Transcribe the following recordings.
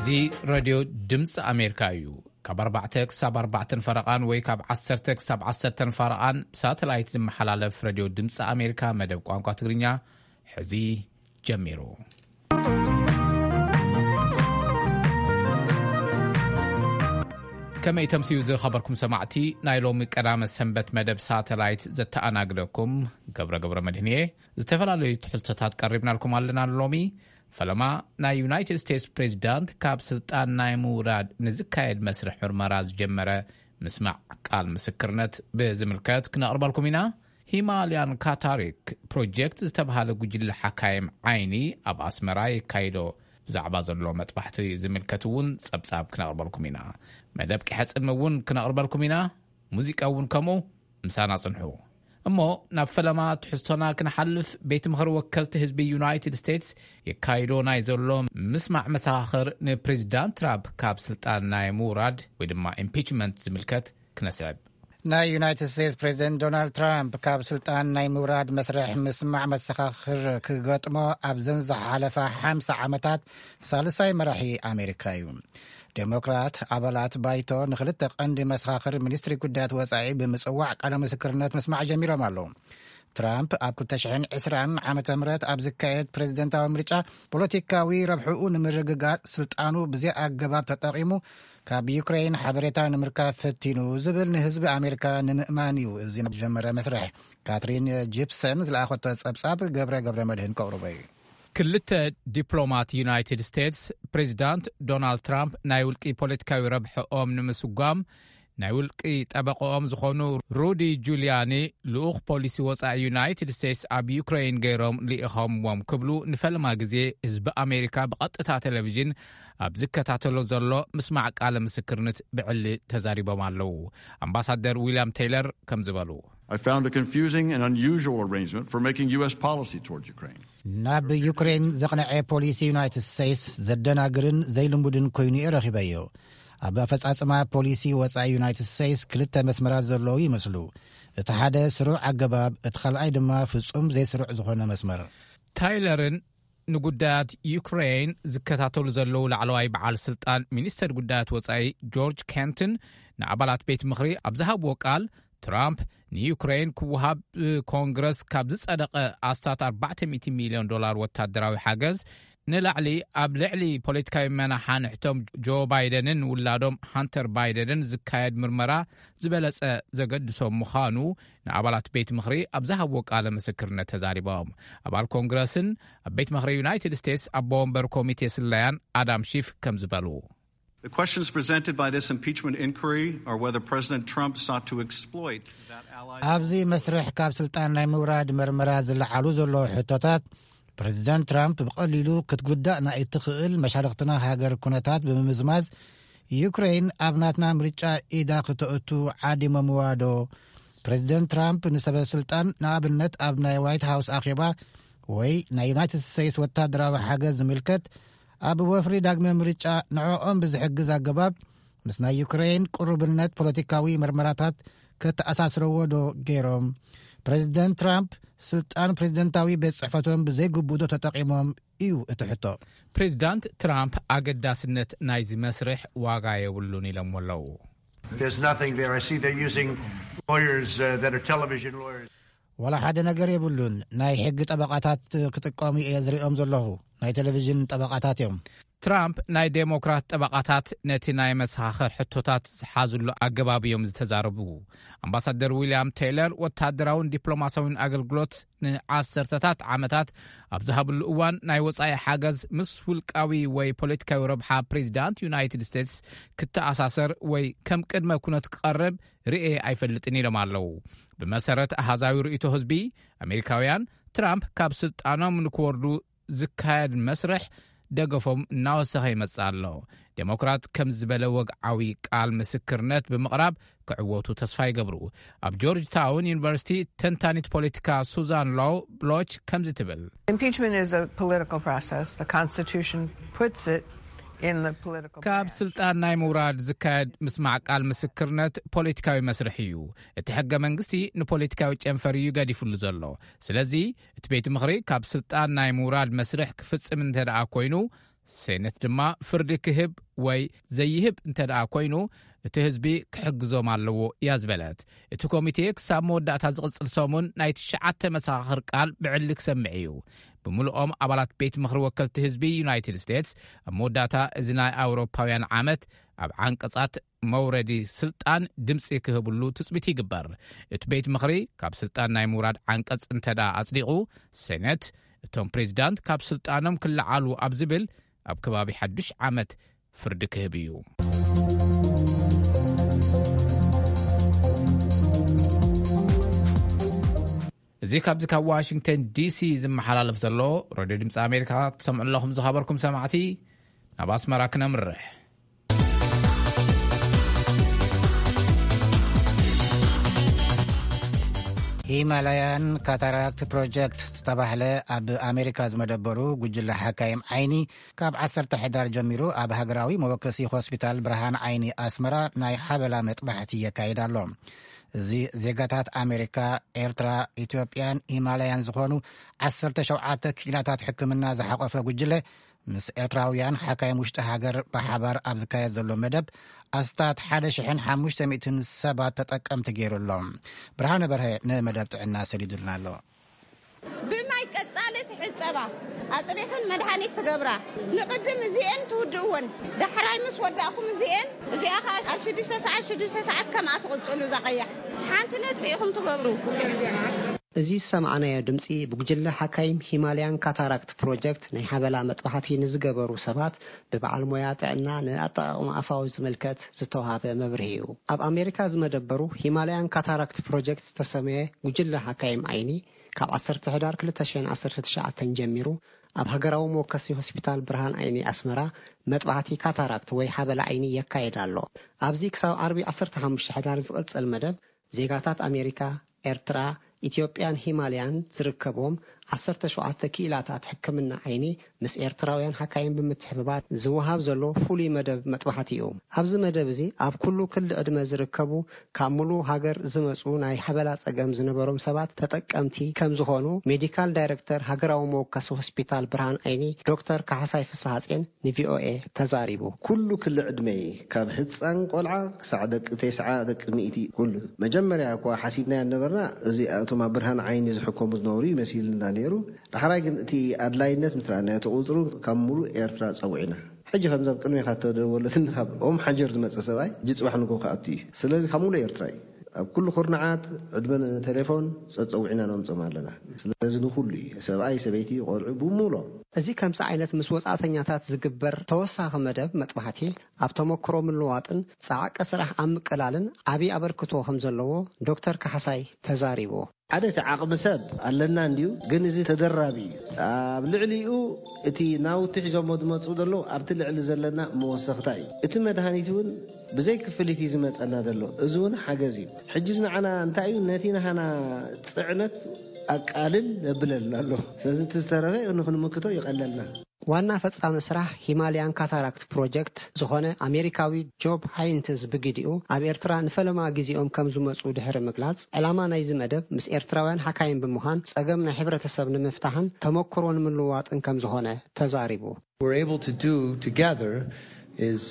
እዚ ሬድዮ ድምፂ ኣሜሪካ እዩ። ካብ ኣርባዕተ ክሳብ ኣርባዕተን ፈረቓን ወይ ካብ ዓሰርተ ክሳብ ዓሰርተን ፈረቓን ብሳተላይት ዝመሓላለፍ ሬድዮ ድምፂ ኣሜሪካ መደብ ቋንቋ ትግርኛ ሕዚ ጀሚሩ። ከመይ ተምስዩ ዝኸበርኩም ሰማዕቲ ናይ ሎሚ ቀዳመ ሰንበት መደብ ሳተላይት ዘተኣናግደኩም ገብረ ገብረ መድህን እየ። ዝተፈላለዩ ትሕዝቶታት ቀሪብናልኩም ኣለና። ሎሚ ፈለማ ናይ ዩናይትድ ስቴትስ ፕሬዚዳንት ካብ ስልጣን ናይ ምውራድ ንዝካየድ መስርሕ ምርመራ ዝጀመረ ምስማዕ ቃል ምስክርነት ብዝምልከት ክነቕርበልኩም ኢና። ሂማልያን ካታሪክ ፕሮጀክት ዝተባሃለ ጉጅለ ሓካይም ዓይኒ ኣብ ኣስመራ የካይዶ ብዛዕባ ዘሎ መጥባሕቲ ዝምልከት እውን ጸብጻብ ክነቕርበልኩም ኢና። መደብ ቂሐ ጽልሚ እውን ክነቕርበልኩም ኢና። ሙዚቃ እውን ከምኡ። ምሳና ጽንሑ። እሞ ናብ ፈለማ ትሕዝቶና ክንሓልፍ፣ ቤት ምኽሪ ወከልቲ ህዝቢ ዩናይትድ ስቴትስ የካይዶ ናይ ዘሎ ምስማዕ መሰኻኽር ንፕሬዚዳንት ትራምፕ ካብ ስልጣን ናይ ምውራድ ወይ ድማ ኢምፒችመንት ዝምልከት ክነስዕብ። ናይ ዩናይትድ ስቴትስ ፕሬዚደንት ዶናልድ ትራምፕ ካብ ስልጣን ናይ ምውራድ መስርሕ ምስማዕ መሰኻኽር ክገጥሞ ኣብዘን ዝሓለፋ ሓምሳ ዓመታት ሳልሳይ መራሒ ኣሜሪካ እዩ። ዴሞክራት ኣባላት ባይቶ ንክልተ ቀንዲ መሰኻኽር ሚኒስትሪ ጉዳያት ወጻኢ ብምጽዋዕ ቃለ ምስክርነት ምስማዕ ጀሚሮም ኣለዉ። ትራምፕ ኣብ ክልተ ሽሕን ዕስራን ዓመተ ምህረት ኣብ ዝካየድ ፕሬዚደንታዊ ምርጫ ፖለቲካዊ ረብሕኡ ንምርግጋጽ ስልጣኑ ብዘይ ኣገባብ ተጠቒሙ ካብ ዩክሬን ሓበሬታ ንምርካብ ፈቲኑ ዝብል ንህዝቢ ኣሜሪካ ንምእማን እዩ እዚ ዝጀመረ መስርሕ። ካትሪን ጂፕሰን ዝለኣኸቶ ጸብጻብ ገብረ ገብረ መድህን ከቕርቦ እዩ። ክልተ ዲፕሎማት ዩናይትድ ስቴትስ ፕሬዚዳንት ዶናልድ ትራምፕ ናይ ውልቂ ፖለቲካዊ ረብሕኦም ንምስጓም ናይ ውልቂ ጠበቆኦም ዝኾኑ ሩዲ ጁሊያኒ ልኡኽ ፖሊሲ ወጻኢ ዩናይትድ ስቴትስ ኣብ ዩክሬን ገይሮም ልኢኾምዎም ክብሉ ንፈለማ ግዜ ህዝቢ ኣሜሪካ ብቐጥታ ቴሌቪዥን ኣብ ዝከታተሎ ዘሎ ምስማዕ ቃለ ምስክርነት ብዕሊ ተዛሪቦም ኣለዉ። ኣምባሳደር ዊልያም ቴይለር ከም ዝበሉ I found a confusing and unusual arrangement for making U S policy toward Ukraine. ናብ ዩክሬን ዘቕነዐ ፖሊሲ ዩናይትድ ስቴትስ ዘደናግርን ዘይልሙድን ኮይኑ እየ ረኺበዮ። ኣብ ኣፈጻጽማ ፖሊሲ ወጻኢ ዩናይትድ ስቴትስ ክልተ መስመራት ዘለዉ ይመስሉ። እቲ ሓደ ስሩዕ ኣገባብ፣ እቲ ካልኣይ ድማ ፍጹም ዘይስሩዕ ዝኾነ መስመር። ታይለርን ንጉዳያት ዩክሬን ዝከታተሉ ዘለዉ ላዕለዋይ በዓል ስልጣን ሚኒስተር ጉዳያት ወጻኢ ጆርጅ ኬንትን ንኣባላት ቤት ምኽሪ ኣብ ዝሃብዎ ቃል፣ ትራምፕ ንዩክሬን ክወሃብ ብኮንግረስ ካብ ዝጸደቐ ኣስታት ኣርባዕተ ሚእቲ ሚልዮን ዶላር ወታደራዊ ሓገዝ ንላዕሊ ኣብ ልዕሊ ፖለቲካዊ መናሓንሕቶም ጆ ባይደንን ውላዶም ሃንተር ባይደንን ዝካየድ ምርመራ ዝበለጸ ዘገድሶም ምዃኑ ንኣባላት ቤት ምኽሪ ኣብ ዝሃብዎ ቃለ ምስክርነት ተዛሪቦም። ኣባል ኮንግረስን ኣብ ቤት ምኽሪ ዩናይትድ ስቴትስ ኣቦ ወንበር ኮሚቴ ስለያን ኣዳም ሺፍ ከም ዝበሉ The questions presented by this impeachment inquiry are whether President Trump sought to exploit that ally ኣብዚ መስርሕ ካብ ስልጣን ናይ ምውራድ መርመራ ዝለዓሉ ዘለዉ ሕቶታት፣ ፕሬዚደንት ትራምፕ ብቐሊሉ ክትጉዳእ ናይ እትኽእል መሻርኽትና ሃገር ኩነታት ብምምዝማዝ፣ ዩክሬን ኣብ ናትና ምርጫ ኢዳ ክተእቱ ዓዲሞምዋ ዶ? ፕሬዚደንት ትራምፕ ንሰበ ስልጣን፣ ንኣብነት ኣብ ናይ ዋይት ሃውስ ኣኼባ ወይ ናይ ዩናይትድ ስቴትስ ወታደራዊ ሓገዝ ዝምልከት ኣብ ወፍሪ ዳግመ ምርጫ ንዕኦም ብዝሕግዝ ኣገባብ ምስ ናይ ዩክሬን ቅሩብነት ፖለቲካዊ መርመራታት ከተኣሳስረዎ ዶ ገይሮም? ፕሬዚደንት ትራምፕ ስልጣን ፕሬዚደንታዊ ቤት ጽሕፈቶም ብዘይግቡእ ዶ ተጠቒሞም እዩ እቲ ሕቶ። ፕሬዚዳንት ትራምፕ ኣገዳስነት ናይዚ መስርሕ ዋጋ የብሉን ኢሎምዎ ኣለዉ። There's nothing there. I see they're using lawyers uh, that are television lawyers. ዋላ ሓደ ነገር የብሉን። ናይ ሕጊ ጠበቓታት ክጥቀሙ እየ ዝሪኦም ዘለኹ። ናይ ቴሌቪዥን ጠበቓታት እዮም። ትራምፕ ናይ ዴሞክራት ጠበቓታት ነቲ ናይ መሰኻኽር ሕቶታት ዝሓዝሉ ኣገባብ እዮም ዝተዛረቡ። ኣምባሳደር ዊልያም ቴይለር ወታደራውን ዲፕሎማሲያውን ኣገልግሎት ንዓሰርተታት ዓመታት ኣብ ዝሃብሉ እዋን ናይ ወጻኢ ሓገዝ ምስ ውልቃዊ ወይ ፖለቲካዊ ረብሓ ፕሬዚዳንት ዩናይትድ ስቴትስ ክተኣሳሰር ወይ ከም ቅድመ ኩነት ክቐርብ ርኤ ኣይፈልጥን ኢሎም ኣለዉ። ብመሰረት ኣሃዛዊ ርእይቶ ህዝቢ ኣሜሪካውያን ትራምፕ ካብ ስልጣኖም ንክወርዱ ዝካየድ መስርሕ ደገፎም እናወሰኸ ይመጽእ ኣሎ። ዴሞክራት ከም ዝበለ ወግዓዊ ቃል ምስክርነት ብምቕራብ ክዕወቱ ተስፋ ይገብሩ። ኣብ ጆርጅ ታውን ዩኒቨርሲቲ ተንታኒት ፖለቲካ ሱዛን ሎው ብሎች ከምዚ ትብል። Impeachment is a political process. The Constitution puts it in the political ካብ branch. ስልጣን ናይ ምውራድ ዝካየድ ምስማዕ ቃል ምስክርነት ፖለቲካዊ መስርሕ እዩ። እቲ ሕገ መንግስቲ ንፖለቲካዊ ጨንፈር እዩ ገዲፍሉ ዘሎ። ስለዚ እቲ ቤት ምኽሪ ካብ ስልጣን ናይ ምውራድ መስርሕ ክፍጽም እንተ ደኣ ኮይኑ ሴነት ድማ ፍርዲ ክህብ ወይ ዘይህብ እንተ ደኣ ኮይኑ፣ እቲ ህዝቢ ክሕግዞም ኣለዎ እያ ዝበለት። እቲ ኮሚቴ ክሳብ መወዳእታ ዝቕጽል ሰሙን ናይ ትሽዓተ መሰኻኽር ቃል ብዕሊ ክሰምዕ እዩ። ብምሉኦም ኣባላት ቤት ምኽሪ ወከልቲ ህዝቢ ዩናይትድ ስቴትስ ኣብ መወዳእታ እዚ ናይ ኣውሮፓውያን ዓመት ኣብ ዓንቀጻት መውረዲ ስልጣን ድምጺ ክህብሉ ትጽቢት ይግበር። እቲ ቤት ምኽሪ ካብ ስልጣን ናይ ምውራድ ዓንቀጽ እንተ ደኣ ኣጽዲቑ፣ ሴነት እቶም ፕሬዚዳንት ካብ ስልጣኖም ክለዓሉ ኣብ ዝብል ኣብ ከባቢ ሓዱሽ ዓመት ፍርዲ ክህብ እዩ። እዚ ካብዚ ካብ ዋሽንግተን ዲሲ ዝመሓላለፍ ዘሎ ሬድዮ ድምፂ ኣሜሪካ ክትሰምዑ ኣለኹም ዝኸበርኩም ሰማዕቲ። ናብ ኣስመራ ክነምርሕ። ሂማላያን ካታራክት ፕሮጀክት ዝተባህለ ኣብ ኣሜሪካ ዝመደበሩ ጉጅለ ሓካይም ዓይኒ ካብ ዓሰርተ ሕዳር ጀሚሩ ኣብ ሃገራዊ መወከሲ ሆስፒታል ብርሃን ዓይኒ ኣስመራ ናይ ሓበላ መጥባሕቲ የካይድ ኣሎ። እዚ ዜጋታት ኣሜሪካ፣ ኤርትራ፣ ኢትዮጵያን ሂማላያን ዝኾኑ ዓሰርተ ሸውዓተ ክኢላታት ሕክምና ዝሓቆፈ ጉጅለ ምስ ኤርትራውያን ሓካይም ውሽጢ ሃገር ብሓባር ኣብ ዝካየድ ዘሎ መደብ ኣስታት ሓደ ሽሕን ሓሙሽተ ሚእትን ሰባት ተጠቀምቲ ገይሩ ኣሎ። ብርሃነ በርሀ ንመደብ ጥዕና ሰሊዱልና ኣሎ። ብማይ ቀጻሊ ትሕጸባ፣ ኣጽሪኽን መድሃኒት ትገብራ። ንቕድም እዚኤን ትውድእወን፣ ዳሕራይ ምስ ወዳእኩም እዚኤን፣ እዚኣ ኸኣ ኣብ ሽዱሽተ ሰዓት፣ ሽዱሽተ ሰዓት ከምኣ ትቕጽሉ። እዛ ቀያሕ ሓንቲ ነጥቢ ኢኹም ትገብሩ። እዚ ዝሰማዕናዮ ድምጺ ብጉጅለ ሓካይም ሂማልያን ካታራክት ፕሮጀክት ናይ ሓበላ መጥባሕቲ ንዝገበሩ ሰባት ብበዓል ሞያ ጥዕና ንኣጠቓቕማ ኣፋዊ ዝምልከት ዝተዋሃበ መብርሂ እዩ። ኣብ ኣሜሪካ ዝመደበሩ ሂማልያን ካታራክት ፕሮጀክት ዝተሰመየ ጉጅለ ሓካይም ዓይኒ ካብ ዓሰርተ ሕዳር ክልተ ሽሕን ዓሰርተ ትሽዓተን ጀሚሩ ኣብ ሃገራዊ መወከሲ ሆስፒታል ብርሃን ዓይኒ ኣስመራ መጥባሕቲ ካታራክት ወይ ሓበላ ዓይኒ የካየድ ኣሎ። ኣብዚ ክሳብ ዓርቢ ዓሰርተ ሓሙሽተ ሕዳር ዝቕጽል መደብ ዜጋታት ኣሜሪካ፣ ኤርትራ፣ ኢትዮጵያን ሂማልያን ዝርከብዎም ዓሰርተ ሸውዓተ ክኢላታት ሕክምና ዓይኒ ምስ ኤርትራውያን ሓካይም ብምትሕብባር ዝወሃብ ዘሎ ፍሉይ መደብ መጥባሕቲ እዩ። ኣብዚ መደብ እዚ ኣብ ኩሉ ክሊ ዕድመ ዝርከቡ ካብ ሙሉ ሃገር ዝመጹ ናይ ሓበላ ጸገም ዝነበሮም ሰባት ተጠቀምቲ ከም ዝኾኑ ሜዲካል ዳይሬክተር ሃገራዊ መወከሲ ሆስፒታል ብርሃን ዓይኒ ዶክተር ካሕሳይ ፍስሓጽዮን ንቪኦኤ ተዛሪቡ። ኩሉ ክሊ ዕድመ ካብ ህጻን ቆልዓ ክሳዕ ደቂ ተስዓ ደቂ ሚእቲ ኩሉ። መጀመርያ እኳ ሓሲብናዮ ነበርና፣ እዚ እቶም ኣብ ብርሃን ዓይኒ ዝሕከሙ ዝነበሩ ይመሲልና ነይሩ። ዳሕራይ ግን እቲ ኣድላይነት ምስ ረኣናዮ፣ እቲ ቁጽሩ ካብ ሙሉእ ኤርትራ ጸዊዕና። ሕጂ ከምዚ ኣብ ቅድሜኻ እተደወለትኒ ካብ ኦም ሓጀር ዝመጸ ሰብኣይ፣ ሕጂ ጽባሕ ንግሆ ክኣቱ እዩ። ስለዚ ካብ ሙሉእ ኤርትራ እዩ። ኣብ ኩሉ ኩርናዓት ዕድመ ንቴሌፎን ጸጸዊዕና ነምጾም ኣለና። ስለዚ ንኹሉ እዩ፣ ሰብኣይ፣ ሰበይቲ፣ ቆልዑ ብምሉኦም። እዚ ከምዚ ዓይነት ምስ ወጻእተኛታት ዝግበር ተወሳኺ መደብ መጥባሕቲ ኣብ ተመክሮ ምልዋጥን ጸዓቀ ስራሕ ኣብ ምቅላልን ዓቢ ኣበርክቶ ከም ዘለዎ ዶክተር ካሕሳይ ተዛሪቡ። ሓደ እቲ ዓቕሚ ሰብ ኣለና እንድዩ፣ ግን እዚ ተደራቢ እዩ። ኣብ ልዕሊኡ እቲ ናውቲ ሒዞሞ ዝመጹ ዘለዉ ኣብቲ ልዕሊ ዘለና መወሰኽታ እዩ። እቲ መድሃኒት እውን ብዘይ ክፍሊት እዩ ዝመጸና ዘሎ። እዚ እውን ሓገዝ እዩ። ሕጂ ንዓና እንታይ እዩ፣ ነቲ ናህና ጽዕነት ኣቃልል የብለልና ኣሎ። ስለዚ እቲ ዝተረፈ ንኽንምክቶ ይቐለልና። ዋና ፈጻሚ ስራሕ ሂማልያን ካታራክት ፕሮጀክት ዝኾነ ኣሜሪካዊ ጆብ ሃይንትዝ ብግዲኡ ኣብ ኤርትራ ንፈለማ ግዜኦም ከም ዝመጹ ድሕሪ ምግላጽ፣ ዕላማ ናይዚ መደብ ምስ ኤርትራውያን ሓካይም ብምዃን ጸገም ናይ ሕብረተሰብ ንምፍታሕን ተመክሮ ንምልዋጥን ከም ዝኾነ ተዛሪቡ። We're able to do together is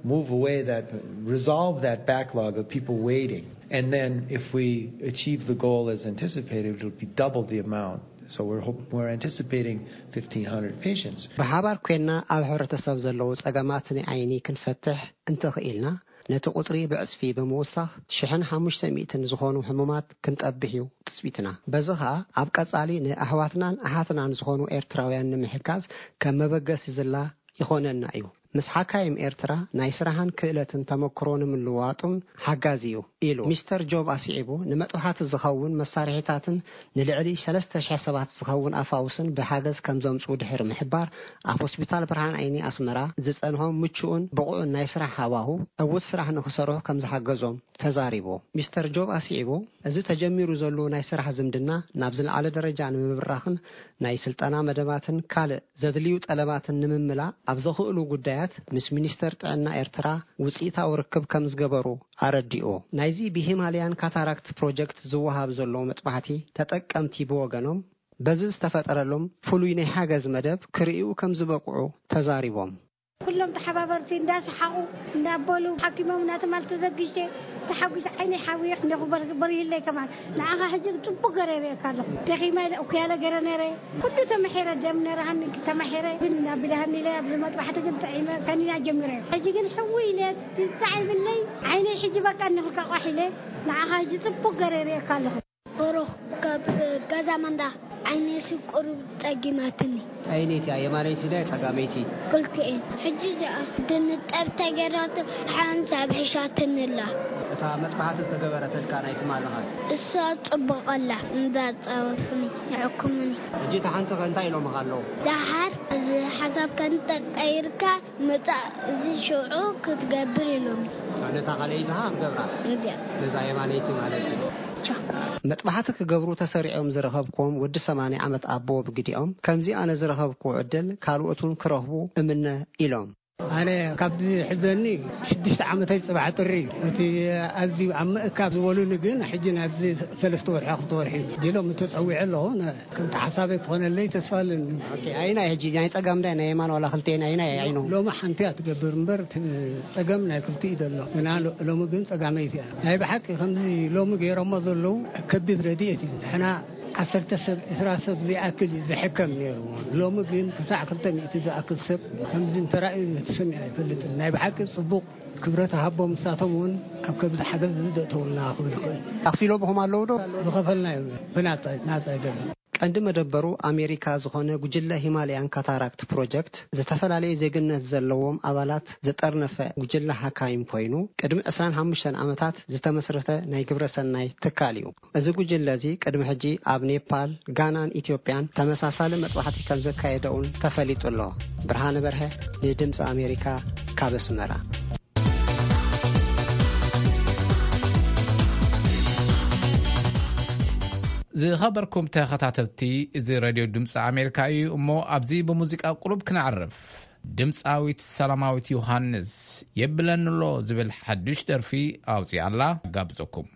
move away that, resolve that backlog of people waiting. And then if we achieve the goal as anticipated, it'll be double the amount. So we're hope, we're anticipating fifteen hundred patients. ብሓባር ኮይና ኣብ ሕብረተሰብ ዘለዉ ጸገማት ናይ ዓይኒ ክንፈትሕ እንተኽኢልና፣ ነቲ ቁጽሪ ብዕጽፊ ብምውሳኽ ሽሕን ሓሙሽተ ሚእትን ዝኾኑ ሕሙማት ክንጠብሕ እዩ ትጽቢትና። በዚ ኸኣ ኣብ ቀጻሊ ንኣሕዋትናን ኣሓትናን ዝኾኑ ኤርትራውያን ንምሕጋዝ ከም መበገሲ ዝላ ይኾነና እዩ። ምስ ሓካይም ኤርትራ ናይ ስራሕን ክእለትን ተመክሮ ንምልዋጡን ሓጋዚ እዩ ኢሉ። ሚስተር ጆብ ኣስዒቡ፣ ንመጥባሕቲ ዝኸውን መሳርሒታትን ንልዕሊ ሰለስተ ሽሕ ሰባት ዝኸውን ኣፋውስን ብሓገዝ ከም ዘምጽኡ ድሕሪ ምሕባር፣ ኣብ ሆስፒታል ብርሃን ዓይኒ ኣስመራ ዝጸንሆም ምቹእን ብቑዕን ናይ ስራሕ ሃዋሁ ዕዉት ስራሕ ንኽሰርሑ ከም ዝሓገዞም ተዛሪቡ። ሚስተር ጆብ ኣስዒቡ፣ እዚ ተጀሚሩ ዘሎ ናይ ስራሕ ዝምድና ናብ ዝለዓለ ደረጃ ንምብራኽን ናይ ስልጠና መደባትን ካልእ ዘድልዩ ጠለባትን ንምምላእ ኣብ ዘኽእሉ ጉዳያት ምስ ሚኒስተር ጥዕና ኤርትራ ውጽኢታዊ ርክብ ከም ዝገበሩ ኣረዲኡ። ናይዚ ብሂማልያን ካታራክት ፕሮጀክት ዝወሃብ ዘሎ መጥባሕቲ ተጠቀምቲ ብወገኖም፣ በዚ ዝተፈጠረሎም ፍሉይ ናይ ሓገዝ መደብ ክርእዩ ከም ዝበቕዑ ተዛሪቦም። ኩሎም ተሓባበርቲ እንዳሰሓቑ እንዳበሉ ሓኪሞም እናተማል ተዘግጅተ ተሓጒሰ ዓይነይ ሓውየ እንዲኹ በር- በሪህለይ ከማን ንዓኻ ሕጂ ጽቡቕ ገረ የርእየካ ኣለኹ። ደኺማ ኢለ እኩያለ ገረ ነረ ኩሉ ተመሒረ ደም ነረሃኒ ተመሒረ ግን እናቢልሃኒ ኢለ ኣብዚ መጥባሕቲ ግን ጥዒመ ከኒና ጀሚረ ሕጂ ግን ሕዊ ኢለ ትጻዒብለይ ዓይነይ ሕጂ በቃ እንኽልካ ቋሕ ኢለ ንዓኻ ሕጂ ጽቡቕ ገረ የርእየካ ኣለኹ። ብሩኽ ካብ ገዛ መንዳ ዓይነይ ሽቁር ጸጊማትኒ። ዓይነይቲ እያ የማነይቲ ድያ ጸጋመይቲ? ክልቲኤን። ሕጂ እዚኣ ድንጠብ ተገይራቶ ሓንሳብ ሒሻትኒ ኣላ። እታ መጥባሕቲ ዝተገበረትልካ ናይ ትማሊ ኸ? እሳ ጽቡቕ ኣላ፣ እንዳጻወትኒ ይሕክሙኒ። ሕጂ እታ ሓንቲ ኸ እንታይ ኢሎምኻ ኣለዉ? ደሓር እዚ ሓሳብ ከንተቀይርካ ምጻእ እዚ ሽዑ ክትገብር ኢሎምኒ። ነታ ካልኣይቲ ኸ ክትገብራ? እንድያ። ነዛ የማነይቲ ማለት እዩ። ቻው። መጥባሕቲ ክገብሩ ተሰሪዖም ዝረኸብኩዎም ወዲ ሰማንያ ዓመት ኣቦ ብግዲኦም፣ ከምዚ ኣነ ዝረኸብኩዎ ዕድል ካልኦት እውን ክረኽቡ እምነ ኢሎም። ኣነ ካብዚ ሕዘኒ ሽዱሽተ ዓመተይ ጽባሕ ጥሪ እዩ። እቲ ኣዝዩ ኣብ ምእካብ ዝበሉኒ ግን ሕጂ ናብዚ ሰለስተ ወርሒ ክልተ ወርሒ እዩ። ዲሎም ተጸዊዐ ኣለኹ። ነ-፣ ከምቲ ሓሳበይ ክኾነለይ ተስፋ ኣለኒ። ኦኬ፣ ኣይናይ ሕጂ ናይ ጸጋም ዳይ ናይ የማን ዋላ ክልቴን ኣይናይ ዓይኖም? ሎሚ ሓንቲ እያ ትገብር እምበር እቲ ጸገም ናይ ክልቲኡ እዩ ዘሎ። ግና ሎ-፣ ሎሚ ግን ጸጋመይቲ እያ። ናይ ብሓቂ ከምዚ ሎሚ ገይሮሞ ዘለዉ ከቢድ ረድኤት እዩ። ንሕና ዓሰርተ ሰብ፣ ዕስራ ሰብ ዝኣክል እዩ ዝሕከም ነይሩ። ሎሚ ግን ክሳዕ ክልተ ሚእቲ ዝኣክል ሰብ ከምዚ እንተራእዩ ተሰሚዑ ኣይፈልጥን። ናይ ብሓቂ ጽቡቕ ክብረት ሃቦም፣ ንሳቶም እውን ኣብ ከብዚ ሓገዝ ዘእተውልና ክብል ይኽእል። ኣኽፊሎምኹም ኣለዉ ዶ? ዝኸፈልናዮ ብናጻ፣ ናጻ ኣይደለም። ቀንዲ መደበሩ ኣሜሪካ ዝኾነ ጉጅለ ሂማልያን ካታራክት ፕሮጀክት፣ ዝተፈላለዩ ዜግነት ዘለዎም ኣባላት ዝጠርነፈ ጉጅለ ሓካይም ኮይኑ፣ ቅድሚ ዕስራን ሓሙሽተን ዓመታት ዝተመስረተ ናይ ግብረ ሰናይ ትካል እዩ። እዚ ጉጅለ እዚ ቅድሚ ሕጂ ኣብ ኔፓል፣ ጋናን ኢትዮጵያን ተመሳሳሊ መጥባሕቲ ከም ዘካየደ እውን ተፈሊጡ ኣሎ። ብርሃነ በርሀ ንድምፂ ኣሜሪካ ካብ ኣስመራ። ዝኸበርኩም ተኸታተልቲ፣ እዚ ሬድዮ ድምፂ ኣሜሪካ እዩ። እሞ ኣብዚ ብሙዚቃ ቁሩብ ክነዕርፍ። ድምፃዊት ሰላማዊት ዮሃንስ የብለንሎ ዝብል ሓዱሽ ደርፊ ኣውፂኣላ። ጋብዘኩም።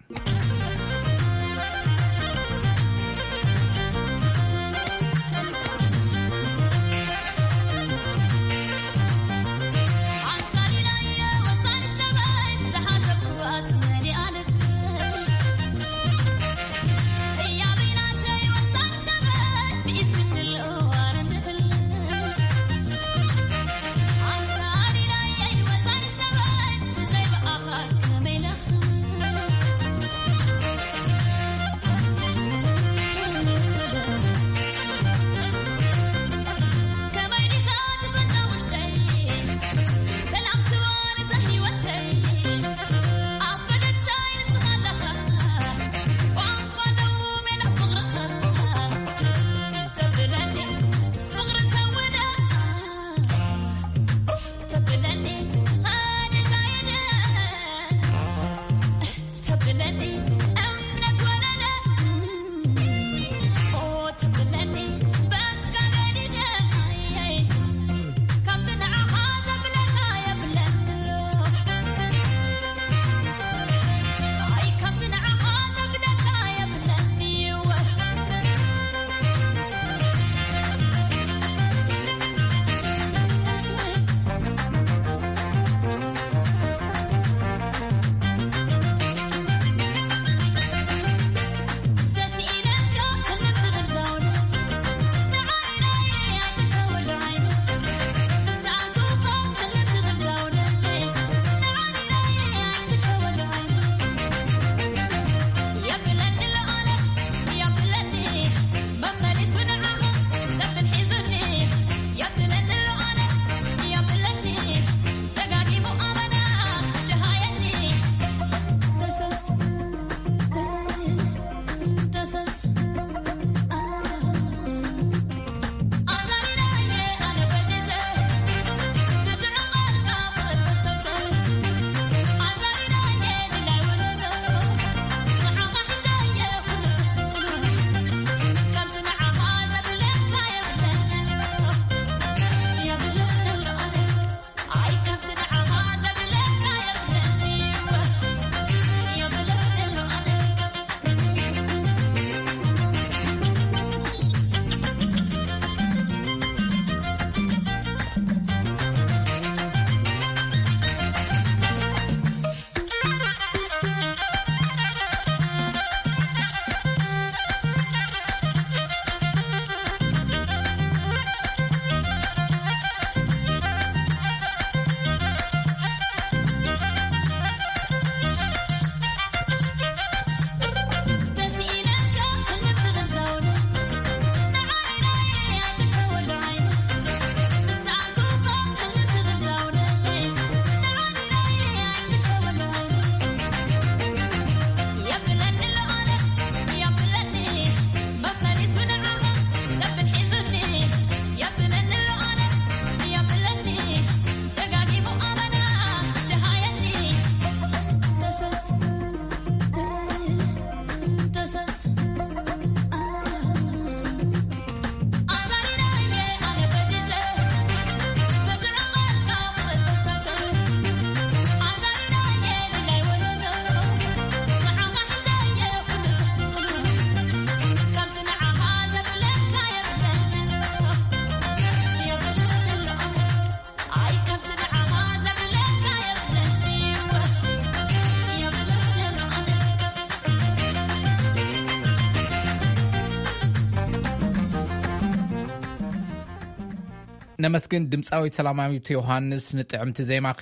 ነመስግን ድምፃዊት ሰላማዊት ዮሃንስ ንጥዕምቲ ዜማኺ።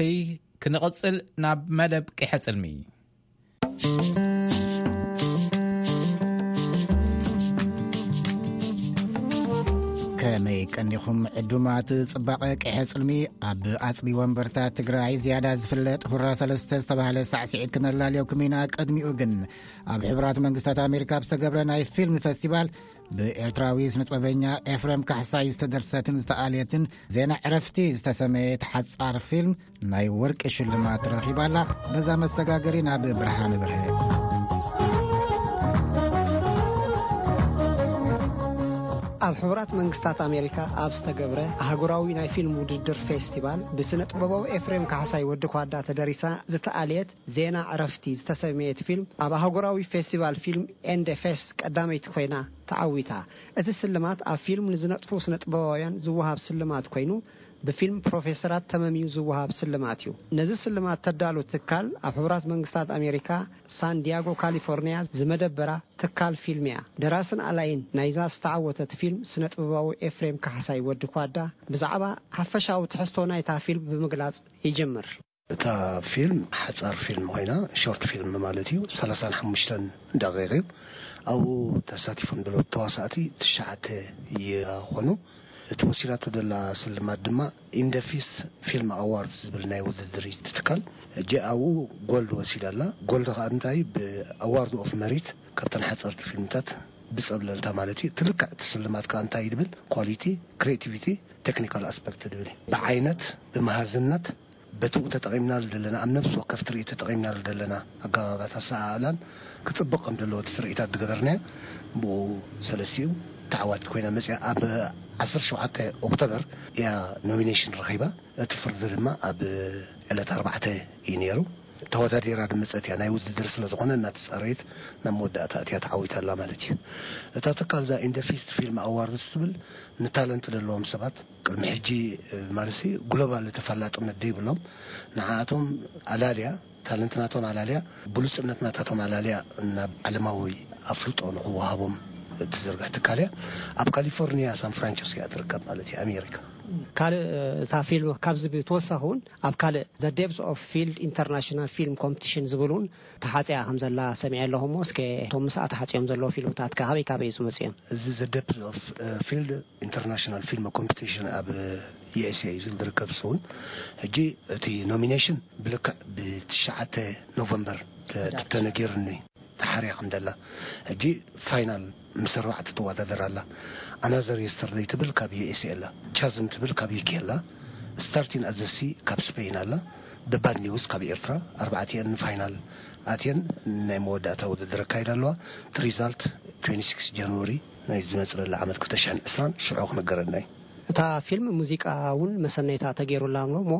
ክንቕፅል ናብ መደብ ቂሐ ፅልሚ። ከመይ ቀኒኹም ዕዱማት? ጽባቐ ቀይሐ ጽልሚ ኣብ ኣጽቢ ወንበርታ ትግራይ ዝያዳ ዝፍለጥ ሁራ ሰለስተ ዝተባህለ ሳዕስዒት ክነላልየኩም ኢና። ቅድሚኡ ግን ኣብ ሕቡራት መንግስታት ኣሜሪካ ኣብ ዝተገብረ ናይ ፊልም ፈስቲቫል ብኤርትራዊ ስነጥበበኛ ኤፍሬም ካሕሳይ ዝተደርሰትን ዝተኣልየትን ዜና ዕረፍቲ ዝተሰመየት ሓጻር ፊልም ናይ ወርቂ ሽልማት ረኺባላ። በዛ መሰጋገሪ ናብ ብርሃነ ብርሀ። ኣብ ሕቡራት መንግስታት ኣሜሪካ ኣብ ዝተገብረ ኣህጉራዊ ናይ ፊልም ውድድር ፌስቲቫል ብስነ ጥበባዊ ኤፍሬም ካሕሳይ ወዲ ኳዳ ተደሪሳ ዝተኣልየት ዜና ዕረፍቲ ዝተሰመየት ፊልም ኣብ ኣህጉራዊ ፌስቲቫል ፊልም ኤንድ ፌስት ቀዳመይቲ ኮይና ተዓዊታ። እቲ ስልማት ኣብ ፊልም ንዝነጥፉ ስነ ጥበባውያን ዝወሃብ ስልማት ኮይኑ ብፊልም ፕሮፌሰራት ተመምዩ ዝወሃብ ስልማት እዩ። ነዚ ስልማት ተዳሉ ትካል ኣብ ሕቡራት መንግስታት ኣሜሪካ ሳን ዲያጎ ካሊፎርኒያ ዝመደበራ ትካል ፊልም እያ። ደራስን ኣላይን ናይዛ ዝተዓወተት ፊልም ስነ ጥበባዊ ኤፍሬም ካሕሳይ ወዲ ኳዳ ብዛዕባ ሓፈሻዊ ትሕዝቶ ናይታ ፊልም ብምግላጽ ይጅምር። እታ ፊልም ሓጻር ፊልም ኮይና፣ ሾርት ፊልም ማለት እዩ። ሰላሳን ሓሙሽተን ደቂቕ እዩ። ኣብኡ ተሳቲፎም ዘለዉ ተዋሳእቲ ትሽዓተ ይኾኑ። እቲ ወሲዳቶ ዘላ ስልማት ድማ ኢንደፊስ ፊልም ኣዋርድ ዝብል ናይ ውድድር እዩ ትካል። እጂ ኣብኡ ጎልድ ወሲዳ ኣላ። ጎልድ ከኣ እንታይ ብኣዋርድ ኦፍ መሪት ካብተን ሓጸርቲ ፊልምታት ብጸብለልታ ማለት እዩ። ትልክዕ እቲ ስልማት ከኣ እንታይ ይብል? ኳሊቲ፣ ክሪኤቲቪቲ፣ ቴክኒካል ኣስፐክት ዝብል እዩ። ብዓይነት፣ ብመሃዝነት፣ በትኡ ተጠቒምናሉ ዘለና፣ ኣብ ነፍሲ ወከፍ ትርኢት ተጠቒምናሉ ዘለና ኣገባባት ኣሰኣእላን ክጽብቕ ከም ዘለዎ እቲ ትርኢታት ዝገበርናዮ ብኡ ሰለስቲኡ ተዓዋቲት ኮይና መጽያ። ኣብ ዓሰርተ ሸውዓተ ኦክቶበር እያ ኖሚኔሽን ረኺባ። እቲ ፍርዲ ድማ ኣብ ዕለት ኣርባዕተ እዩ ነይሩ። ተወዳዲራ ዝመጸት እያ። ናይ ውድድር ስለ ዝኾነ እናተጻረየት ናብ መወዳእታ እትያ ተዓዊታ ኣላ ማለት እዩ። እታ ትካል እዛ ኢንደፊስት ፊልም ኣዋርድስ ትብል ንታለንት ዘለዎም ሰባት ቅድሚ ሕጂ፣ እ፣ ማለትሲ ግሎባል ተፈላጥነት ዘይብሎም ንዓኣቶም ኣላልያ፣ ታለንት ናቶም ኣላልያ፣ ብሉጽነት ናታቶም ኣላልያ ናብ ዓለማዊ ኣፍልጦ ንኽወሃቦም እትዝርግሕ ትካል እያ። ኣብ ካሊፎርኒያ ሳን ፍራንሲስኮ እያ ትርከብ ማለት እዩ፣ ኣሜሪካ። ካልእ፣ እ፣ እታ ፊልም ካብዚ ብተወሳኺ እውን ኣብ ካልእ ዘ ዴፕስ ኦፍ ፊልድ ኢንተርናሽናል ፊልም ኮምፒቲሽን ዝብል እውን ተሓጽያ ከም ዘላ ሰሚዐ ኣለኹ። እሞ እስከ እቶም ምስኣ ተሓጽዮም ዘለዉ ፊልምታት ከ ካበይ ካበይ ዝመጹ እዮም? እዚ ዘ ዴፕስ ኦፍ፣ እ፣ ፊልድ ኢንተርናሽናል ፊልም ኮምፒቲሽን ኣብ ዩ ኤስ ኤ እዩ ዝርከብ። እሱ እውን ሕጂ እቲ ኖሚኔሽን ብልክዕ ብትሽዓተ ኖቨምበር ተ-፣ ተነጊርኒ ተሓርያ ከም ዘላ። ሕጂ ፋይናል ምስ ኣርባዕተ ትወዳደር ኣላ። ኣናዘር የስተርደይ ትብል ካብ ዩ ኤስ ኤ ኣላ። ቻዝም ትብል ካብ ዩ ኬ ኣላ። ስታርቲን ኣዘሲ ካብ ስፔን ኣላ። ደ ባድ ኒውስ ካብ ኤርትራ። ኣርባዕቲኤን ንፋይናል ኣትየን ናይ መወዳእታ ውድድር ኣካይዳ ኣለዋ። እቲ ሪዛልት ትዌንቲ ሲክስ ጃንዋሪ ናይ ዝመጽእ ዘሎ ዓመት ክልተ ሽሕን ዕስራን ሽዑ ክነገረና እዩ። እታ ፊልም ሙዚቃ እውን መሰነይታ ተገይሩላ ኣሎ እሞ፣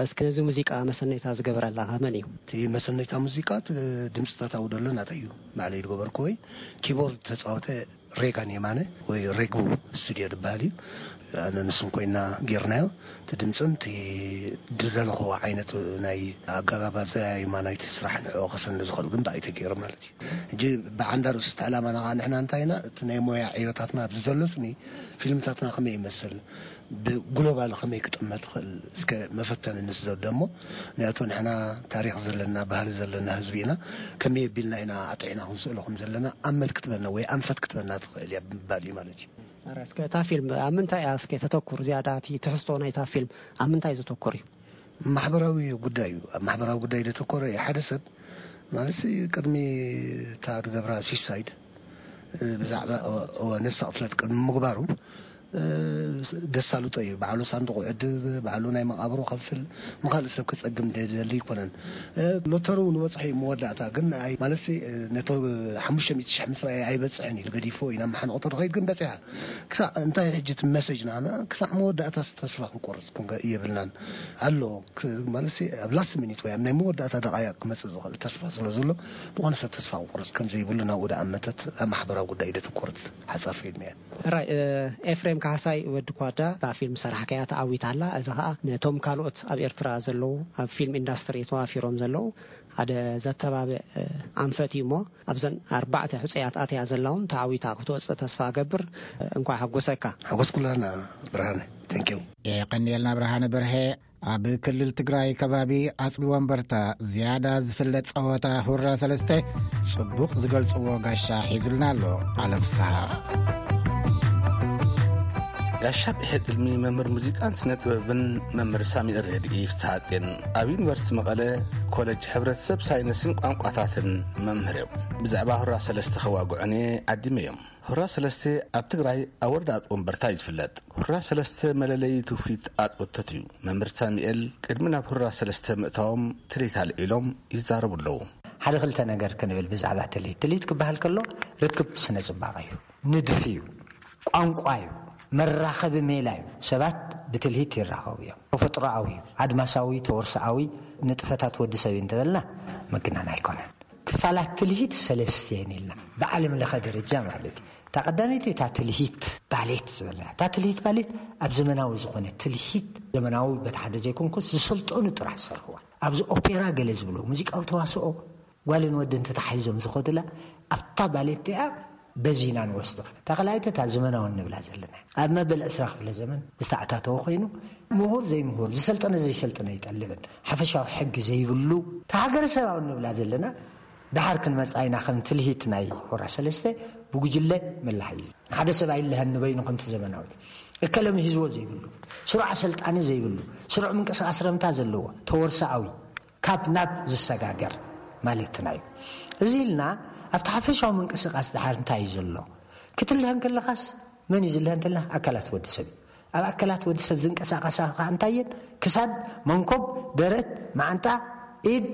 እስኪ ነዚ ሙዚቃ መሰነይታ ዝገበረላ ከ መን እዩ? እቲ መሰነይታ ሙዚቃ፣ እቲ ድምፅታት ኣብኡ ዘሎ ናተይ እዩ፣ ባዕለይ ዝገበርኩ። ወይ ኪቦርድ ተፃወተ ሬጋን የማነ ወይ ሬጉ ስቱድዮ ዝበሃል እዩ። ኣነ ንሱን ኮይና ጌርናዮ። እቲ ድምፅን እቲ ዝደለኽዎ ዓይነት ናይ ኣገባብ ኣዘያይማ ናይቲ ስራሕ ንዕኡ ከሰኒ ዝኽእል ግን ብኣይ ተገይሩ ማለት እዩ። ሕጂ ብዓንዳ ርእሱ እቲ ዕላማና ከዓ ንሕና እንታይ ኢና፣ እቲ ናይ ሞያ ዕዮታትና ኣብዚ ዘሎ ስኒ ፊልምታትና ከመይ ይመስል፣ ብግሎባል ከመይ ክጥመት ይኽእል፣ እስከ መፈተኒ ንስደዶ እሞ፣ ምክንያቱ ንሕና ታሪኽ ዘለና፣ ባህሊ ዘለና ህዝቢ ኢና፣ ከመይ ኣቢልና ኢና ኣጥዒና ክንስእሎ ከም ዘለና ኣመል ክትበና ወይ ኣንፈት ክትበና ትኽእል እያ ብምባል እዩ ማለት እዩ። ኣረ፣ እስከ እታ ፊልም ኣብ ምንታይ እያ እስከ ተተኩር ዝያዳ፣ እቲ ትሕዝቶ ናይታ ፊልም ኣብ ምንታይ ዘተኩር እዩ? ማሕበራዊ ጉዳይ እዩ። ኣብ ማሕበራዊ ጉዳይ ዘተኮረ እዩ። ሓደ ሰብ ማለት ቅድሚ እታ ዝገብራ ሱሳይድ፣ እ፣ ብዛዕባ ኦ-፣ ኦ-፣ ነብሰ ቅትለት ቅድሚ ምግባሩ፣ እ፣ ደሳልጦ እዩ። ባዕሉ ሳንዱቑ ዕድግ፣ ባዕሉ ናይ መቓብሩ ከፍል፣ ንኻልእ ሰብ ክጸግም ደሊ ኣይኮነን። እ፣ ሎተሩ ንበጽሖ እዩ መወዳእታ፣ ግን ኣይ፣ ማለትሲ፣ እ፣ ነቶ ሓሙሽተ ሚእቲ ሽሕ ምስ ረኣየ ኣይበጽሕን ኢሉ ገዲፍዎ እዩ። ናብ መሓንቆ ተደኸይድ ግን በጺሓ። ክሳዕ እንታይ ሕጂ እቲ መሰጅ ንዓና፣ ክሳዕ መወዳእታ ተስፋ ክንቆርጽ ክንገ-፣ የብልናን። ኣሎ፣ ክ-፣ ማለትሲ ኣብ ላስት ሚኒት ወይ ኣብ ናይ መወዳእታ ደቓይቕ ክመጽእ ዝኽእል ተስፋ ስለ ዘሎ፣ ዝኾነ ሰብ ተስፋ ክቆርጽ ከም ዘይብሉ ናብኡ ደኣ መተት ኣብ ማሕበራዊ ጉዳይ ደተኮረት ሓጻር ፊልም እያ። ሕራይ፣ እ፣ ኤፍሬም ካሕሳይ ወዲ ኳዳ እታ ፊልም ሰራሕካያ ተዓዊታ ኣላ። እዚ ኸኣ ነቶም ካልኦት ኣብ ኤርትራ ዘለዉ ኣብ ፊልም ኢንዳስትሪ ተዋፊሮም ዘለዉ ሓደ ዘተባብዕ ኣንፈት እዩ። እሞ ኣብዘን ኣርባዕተ ሕጹያት ኣትያ ዘላ እውን ተዓዊታ ክትወጽእ ተስፋ እገብር። እንኳዕ ሓጎሰካ። ሓጎስኩላና ብርሃነ። Thank you። የቐንየልና ብርሃነ በርሀ። ኣብ ክልል ትግራይ ከባቢ ኣፅቢ ወንበርታ ዝያዳ ዝፍለጥ ፀወታ ሁራ ሰለስተ ፅቡቕ ዝገልፅዎ ጋሻ ሒዙልና ኣሎ። ዓለም ፍስሃ። ጋሻ ብሕልሚ መምህር ሙዚቃን ስነ ጥበብን መምህር ሳሚኤል ረድኢ ፍስሃጼን ኣብ ዩኒቨርሲቲ መቐለ ኮሌጅ ሕብረተሰብ ሳይንስን ቋንቋታትን መምህር እዮም። ብዛዕባ ሁራ ሰለስተ ከዋግዑኒ ዓዲመ እዮም። ሁራ ሰለስተ ኣብ ትግራይ ኣብ ወረዳ ኣፅቢ ወንበርታ እዩ ዝፍለጥ። ሁራ ሰለስተ መለለዪ ትውፊት ኣፅቢ ወንበርታ እዩ። መምህር ሳሚኤል ቅድሚ ናብ ሁራ ሰለስተ ምእታዎም ትልሂት ኣልዒሎም ይዛረቡ ኣለዉ። ሓደ ክልተ ነገር ክንብል ብዛዕባ ትልሂት። ትልሂት ክበሃል ከሎ ርክብ ስነ ጽባቐ እዩ፣ ንድፊ እዩ፣ ቋንቋ እዩ፣ መራኸቢ ሜላ እዩ። ሰባት ብትልሂት ይራኸቡ እዮም። ተፈጥሮኣዊ እዩ፣ ኣድማሳዊ፣ ተወርሶኣዊ ንጥፈታት ወዲ ሰብ እዩ እንተበልና ምግናን ኣይኮነን። ክፋላት ትልሂት ሰለስተ እየን ኢልና ብዓለም ለኸ ደረጃ ማለት እዩ። እታ ቀዳመይቲ እታ ትልሂት ባሌት ዝበልና። እታ ትልሂት ባሌት ኣብ ዘመናዊ ዝኾነ ትልሂት፣ ዘመናዊ በቲ ሓደ ዘይኮንኩስ ዝሰልጠኑ ጥራሕ ዝሰርሕዋ። ኣብዚ ኦፔራ ገለ ዝብሉ ሙዚቃዊ ተዋስኦ ጓልን ወድን ተታሒዞም ዝኸዱላ ኣብታ ባሌት እያ በዚና ንወስዶ። እታ ካልኣይቲ እታ ዘመናዊ እንብላ ዘለና ኣብ መበል ዕስራ ክፍለ ዘመን ዝተኣታተወ ኮይኑ ምሁር ዘይምሁር፣ ዝሰልጠነ ዘይሰልጠነ ይጠልብን ሓፈሻዊ ሕጊ ዘይብሉ እታ ሃገረሰባዊ እንብላ ዘለና ደሓር ክንመጽኣ ኢና። ከም ትልሂት ናይ ሆራ ሰለስተ ብጉጅለ ምላህ እዩ። ሓደ ሰብ ኣይለሀን ንበይኑ ከምቲ ዘመናዊ እከለ ምሂዝዎ ዘይብሉ፣ ስሩዕ ኣሰልጣኒ ዘይብሉ፣ ስሩዕ ምንቅስቃስ ረምታ ዘለዎ፣ ተወርሶኣዊ፣ ካብ ናብ ዝሰጋገር ማለትና እዩ። እዚ ኢልና ኣብቲ ሓፈሻዊ ምንቅስቃስ ደሓር እንታይ እዩ ዘሎ ክትልሀ እንከለኻስ መን እዩ ዝልሀ እንተልና ኣካላት ወዲ ሰብ እዩ። ኣብ ኣካላት ወዲ ሰብ ዝንቀሳቐሳ ከዓ እንታይ እየን? ክሳድ፣ መንኮብ፣ ደረት፣ መዓንጣ፣ ኢድ፣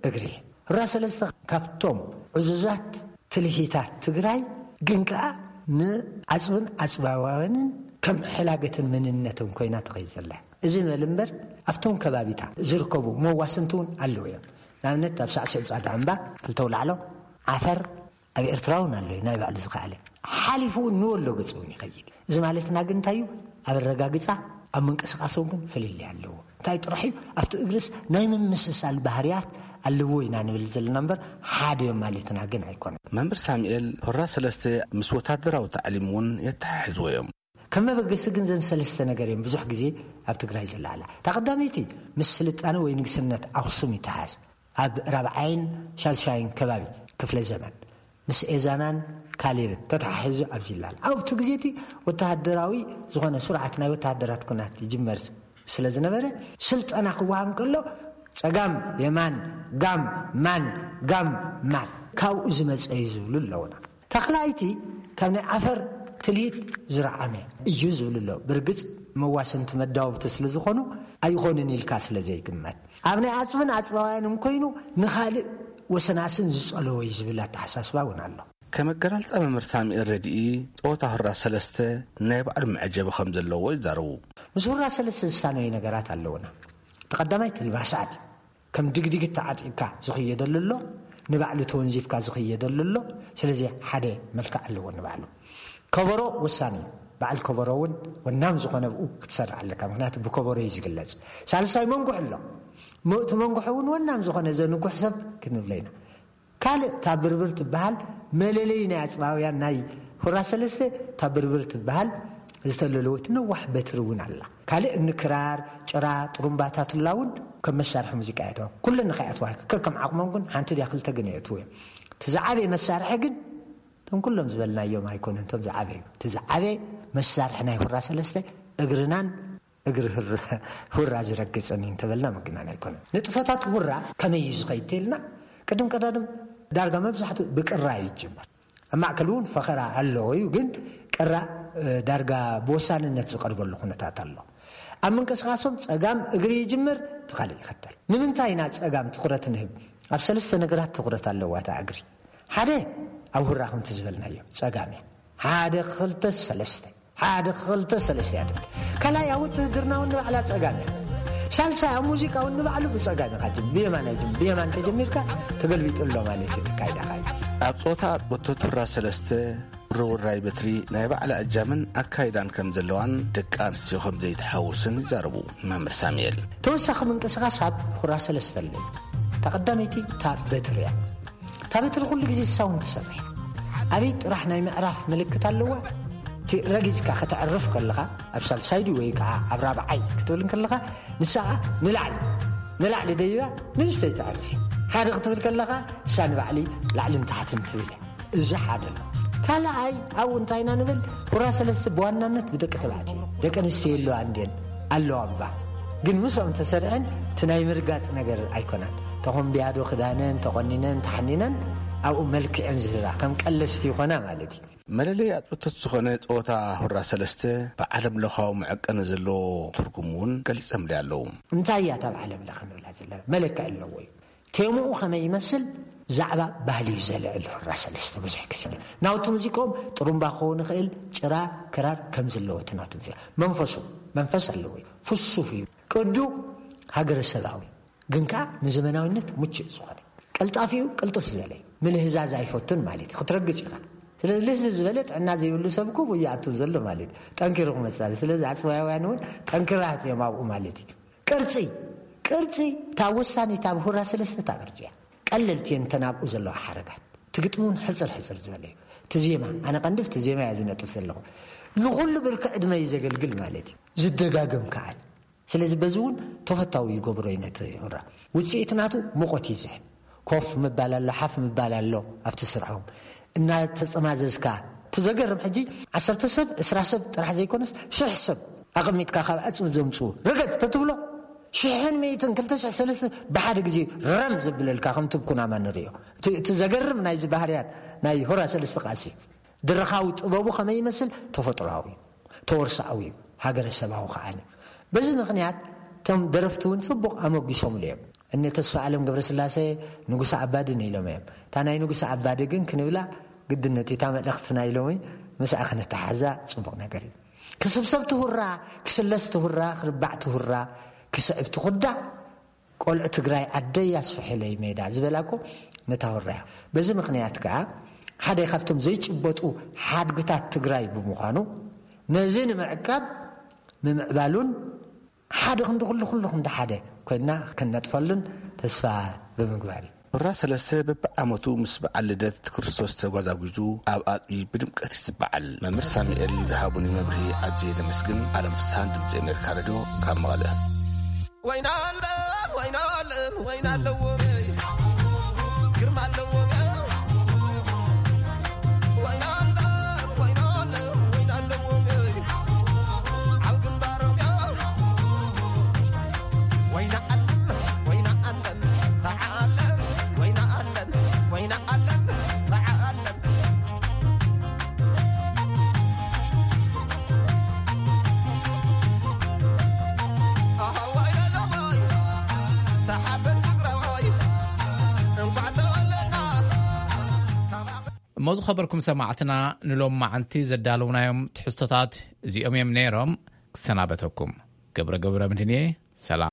እግሪ እየን። ሁራ ሰለስተ ካብቶም ዕዙዛት ትልሂታት ትግራይ ግን ከዓ ንዓፅብን ዓፅባውያንን ከም ሕላገትን መንነትን ኮይና ትኸይድ ዘላ። እዚ በል እምበር ኣብቶም ከባቢታ ዝርከቡ መዋስንቲ እውን ኣለዉ እዮም። ንኣብነት ኣብ ሳዕስዒ ፃዳ እምባ ክልተ ኣውላዕሎ ዓፈር ኣብ ኤርትራ እውን ኣሎ እዩ፣ ናይ ባዕሉ ዝኸኣለ። ሓሊፉ እውን ንወሎ ገፅ እውን ይኸይድ። እዚ ማለትና ግን እንታይ እዩ? ኣብ ኣረጋግፃ፣ ኣብ ምንቅስቃሶም ግን ፍልልይ ኣለዎ። እንታይ ጥራሕ እዩ? ኣብቲ እግርስ ናይ ምምስሳል ባህርያት ኣለዎ ኢና ንብል ዘለና እምበር ሓደ እዮም ማለትና ግን ኣይኮነን። መምህር ሳሙኤል፣ ሆራ ሰለስተ ምስ ወታደራዊ ታዕሊም እውን የተሓሕዝዎ እዮም። ከም መበገሲ ግን ዘን ሰለስተ ነገር እዮም ብዙሕ ግዜ ኣብ ትግራይ ዝለዓላ። እታ ቀዳመይቲ ምስ ስልጣነ ወይ ንግስነት ኣኽሱም ይተሓዝ። ኣብ ራብዓይን ሻድሻይን ከባቢ ክፍለ ዘመን ምስ ኤዛናን ካሌብን ተተሓሒዙ ኣብዚ ይለዓል። ኣብቲ ግዜ እቲ ወተሃደራዊ ዝኾነ ስርዓት ናይ ወተሃደራት ኩናት ይጅመር ስለ ዝነበረ፣ ስልጠና ክወሃብ እንከሎ ጸጋም የማን፣ ጋም ማን፣ ጋም ማን፣ ካብኡ ዝመጸ እዩ ዝብሉ ኣለውና። ተኽላይቲ ካብ ናይ ዓፈር ትልሂት ዝረዓመ እዩ ዝብል ኣሎ። ብርግጽ መዋስንቲ መዳወብቲ ስለ ዝኾኑ ኣይኾንን ኢልካ ስለ ዘይግመት፣ ኣብ ናይ ኣጽብን ኣጽባውያንን ኮይኑ ንኻልእ ወሰናስን ዝጸለወ እዩ ዝብል ኣተሓሳስባ እውን ኣሎ። ከም ኣገላልጻ መምህር ሳሙኤል ረድኢ፣ ጸወታ ሁራ ሰለስተ ናይ ባዕሉ መዐጀቢ ከም ዘለዎ ይዛረቡ። ምስ ሁራ ሰለስተ ዝሳነዩ ነገራት ኣለውና። እቲ ቀዳማይ እቲ ልባሳት እዩ። ከም ድግድጊት ተዓጢቕካ ዝኽየደሉ ኣሎ፣ ንባዕሉ ተወንዚፍካ ዝኽየደሉ ኣሎ። ስለዚ ሓደ መልክዕ ኣለዎ ንባዕሉ። ከበሮ ወሳኒ እዩ። በዓል ከበሮ እውን ወናም ዝኾነ ብኡ ክትሰርዕ ኣለካ፣ ምኽንያቱ ብከበሮ እዩ ዝግለጽ። ሳልሳይ መንጉሒ ኣሎ። ሞ-፣ እቲ መንጉሒ እውን ወናም ዝኾነ ዘንጉሕ ሰብ ክንብሎ ኢና። ካልእ እታ ብርብር ትበሃል መለለዪ ናይ ኣጽባውያን ናይ ሁራ ሰለስተ፣ እታ ብርብር ትበሃል ዝተለለወት ነዋሕ በትሪ እውን ኣላ። ካልእ እኒ ክራር፣ ጭራ፣ ጥሩምባታት ላውን ከም መሳርሒ ሙዚቃ የእትዋ። ኩለን ንኸይኣትዋ ከከም ዓቕሞም ግን ሓንቲ ድያ ክልተ ግን የእትዉ እዮም። እቲ ዝዓበየ መሳርሒ ግን እቶም ኩሎም ዝበልናዮም ኣይኮነን፣ እቶም ዝዓበዩ። እቲ ዝዓበየ መሳርሒ ናይ ሁራ ሰለስተ እግርናን እግሪ ህር-፣ ሁራ ዝረግጽን እዩ እንተበልና ምግናን ኣይኮነን። ንጥፈታት ሁራ ከመይ እዩ ዝኸይድ ተልና፣ ቅድም ቀዳድም ዳርጋ መብዛሕትኡ ብቅራ እዩ ይጅመር። ኣብ ማእከል እውን ፈኸራ ኣለዎ እዩ፣ ግን ቅራ፣ እ፣ ዳርጋ ብወሳንነት ዝቐርበሉ ኩነታት ኣሎ። ኣብ ምንቅስቃሶም ጸጋም እግሪ ይጅምር፣ እቲ ካልእ ይኸተል። ንምንታይ ኢና ጸጋም ትኹረት ንህብ? ኣብ ሰለስተ ነገራት ትኹረት ኣለዋ እታ እግሪ። ሓደ ኣብ ሁራ ከምቲ ዝበልናዮ ጸጋም እያ። ሓደ ክልተ ሰለስተ፣ ሓደ ክልተ ሰለስተ እያ ትብል። ካልኣይ ኣብ ውትህድርና እውን ንባዕላ ጸጋም እያ። ሳልሳይ ኣብ ሙዚቃ እውን ንባዕሉ ብጸጋም ኢኻ ጅም-፣ ብየማን ኣይጅም-፣ ብየማን ተጀሚርካ ተገልቢጡ ኣሎ ማለት እዩ። ትካይዳኻ እዩ። ኣብ ጾታ ኣጥበቶ ትራ ሰለስተ ውርውራይ በትሪ ናይ ባዕላ እጃምን ኣካይዳን ከም ዘለዋን ደቂ ኣንስትዮ ከም ዘይተሓውስን ይዛረቡ መምህር ሳሙኤል። ተወሳኺ ምንቅስቓስ ኣብ ሁራ ሰለስተ ኣሎ። እታ ቀዳመይቲ እታ በትሪ እያ። እታ በትሪ ኩሉ ግዜ እሳ እውን ትሰርሕ። ኣበይ ጥራሕ ናይ ምዕራፍ ምልክት ኣለዋ? እቲ ረጊጽካ ከተዕርፍ ከለኻ ኣብ ሳልሳይ ድዩ ወይ ከዓ ኣብ ራብዓይ ክትብል ከለኻ ንሳ ኸዓ ንላዕሊ ንላዕሊ ደይባ ንእሽተይ ተዕርፍ። ሓደ ክትብል ከለኻ እሳ ንባዕሊ ላዕልን ታሕትን ትብል እያ። እዚ ሓደ ኣሎ። ካልኣይ ኣብኡ እንታይ ኢና ንብል? ሁራ ሰለስተ ብዋናነት ብደቂ ተባዕትዮ ደቂ ኣንስትዮ የለዋ እንድየን ኣለዋ እባ። ግን ምስኦም ተሰሪዐን እቲ ናይ ምርጋጽ ነገር ኣይኮነን። ተኾምብያዶ ክዳነን ተቖኒነን ተሓኒነን ኣብኡ መልክዐን ዝህባ ከም ቀለስቲ ይኾና ማለት እዩ። መለለይ ኣጥብቶት ዝኾነ ጸወታ ሁራ ሰለስተ ብዓለም ለኻዊ መዐቀኒ ዘለዎ ትርጉም እውን ገሊጸምሊ ኣለዉ። እንታይ እያ እታ ብዓለም ለኸ ንብላ ዘለና? መለክዒ ኣለዎ እዩ። ቴምኡ ከመይ ይመስል? ዛዕባ ባህሊ እዩ ዘልዕል። ሁራ ሰለስተ ብዙሕ ግዜ ናውቲ ሙዚቆም ጥሩምባ ክኸውን ይኽእል፣ ጭራ፣ ክራር ከም ዘለዎ እቲ ናውቲ ሙዚቃ መንፈሱ መንፈስ ኣለዎ እዩ። ፍሱፍ እዩ። ቅዱ ሃገረሰባዊ ግን ከኣ ንዘመናዊነት ምቹእ ዝኾነ። ቀልጣፊኡ ቅልጥፍ ዝበለ እዩ። ምልህዛዝ ኣይፈቱን ማለት እዩ። ክትረግጽ ኢኻ። ስለዚ ልህዝ ዝበለ ጥዕና ዘይብሉ ሰብ እኮ ይኣቱ ዘሎ ማለት እዩ። ጠንኪሩ ክመጽእ። ስለዚ ኣጽዋያውያን እውን ጠንክራት እዮም ኣብኡ ማለት እዩ። ቅርጺ፣ ቅርጺ እታ ወሳኒት ኣብ ሁራ ሰለስተ እታ ቅርጺ እያ። ቀለልቲ እየን እተን ኣብኡ ዘለዋ ሓረጋት። እቲ ግጥሚ እውን ሕጽር ሕጽር ዝበለ እዩ። እቲ ዜማ፣ ኣነ ቀንዲ እቲ ዜማ እየ ዝነጥፍ ዘለኹ። ንኹሉ ብርኪ ዕድመ እዩ ዘገልግል ማለት እዩ። ዝደጋገም ከዓል። ስለዚ በዚ እውን ተፈታዊ ይገብሮ እዩ ነቲ ሁራ። ውጽኢት ናቱ ሙቐት እዩ ዝህብ። ኮፍ ምባል ኣሎ፣ ሓፍ ምባል ኣሎ ኣብቲ ስርሖም። እናተጸማዘዝካ፣ እቲ ዘገርም ሕጂ ዓሰርተ ሰብ፣ ዕስራ ሰብ ጥራሕ ዘይኮነስ ሽሕ ሰብ ኣቐሚጥካ ካብ ዕጽፊ ዘምጽኡ። ርገጽ ተትብሎ፣ ሽሕን ሚእትን፣ ክልተ ሽሕ፣ ሰለስተ ብሓደ ግዜ ረም ዘብለልካ ከምቲ ብኩናማ ንርእዮ። እቲ፣ እቲ ዘገርም ናይዚ ባህርያት ናይ ሁራ ሰለስተ ቃልሲ፣ ድርኻዊ ጥበቡ ከመይ ይመስል? ተፈጥሮኣዊ እዩ፣ ተወርሳኣዊ እዩ፣ ሃገረሰባዊ ከዓኒ። በዚ ምኽንያት እቶም ደረፍቲ እውን ጽቡቕ ኣመጒሶምሉ እዮም። እነ ተስፋ ኣለም ገብረስላሴ ንጉሰ ኣባድን ኢሎም እዮም። እታ ናይ ንጉሰ ኣባዲ ግን ክንብላ ግድነት እዩ። እታ መልእኽቲ ናይ ሎሚ ምስኣ ከነተሓዛ ጽቡቕ ነገር እዩ። ክስብሰብ ትሁራ፣ ክስለስ ትሁራ፣ ክርባዕ ትሁራ፣ ክስዕብ ትኹዳ፣ ቆልዑ ትግራይ ዓደይ ኣስፍሕለይ ሜዳ ዝበላ እኮ ነታ ሁራ እያ። በዚ ምኽንያት ከኣ ሓደ ካብቶም ዘይጭበጡ ሓድግታት ትግራይ ብምዃኑ ነዚ ንምዕቃብ ምምዕባሉን ሓደ ክንዲ ኩሉ፣ ኩሉ ክንዲ ሓደ ኮይንና ክንነጥፈሉን ተስፋ ብምግባር እዩ። ሁራ ሰለስተ በብዓመቱ ምስ በዓል ልደት ክርስቶስ ተጓዛጒዙ ኣብ ኣፅቢ ብድምቀት እዩ ዝበዓል። መምህር ሳሙኤል ንዝሃቡኒ መብርሂ ኣዝየ ዘመስግን። ኣለም ፍስሃን ድምፂ ኣሜሪካ ሬድዮ ካብ መቐለ። ወይና ኣለም፣ ወይና ኣለም፣ ወይና ኣለዎም፣ ግርማ ኣለዎም። ወይና ኣለም፣ ወይና ኣለም፣ ወይና ኣለዎም፣ ኣብ ግንባሮም። ወይና ኣለም፣ ወይና ኣለም፣ ተዓለም፣ ወይና ኣለም፣ ወይና ኣለም፣ ተዓለም። ኣሃዋይ ለለዋይ፣ ተሓበን ትግራዋይ፣ እንኳዕ ተወለድና። ካብ ኣኸ- እሞ ዝኸበርኩም ሰማዕትና፣ ንሎም መዓንቲ ዘዳለውናዮም ትሕዝቶታት እዚኦም እዮም ነይሮም። ክሰናበተኩም ገብረ ገብረ ምድንየ። ሰላም።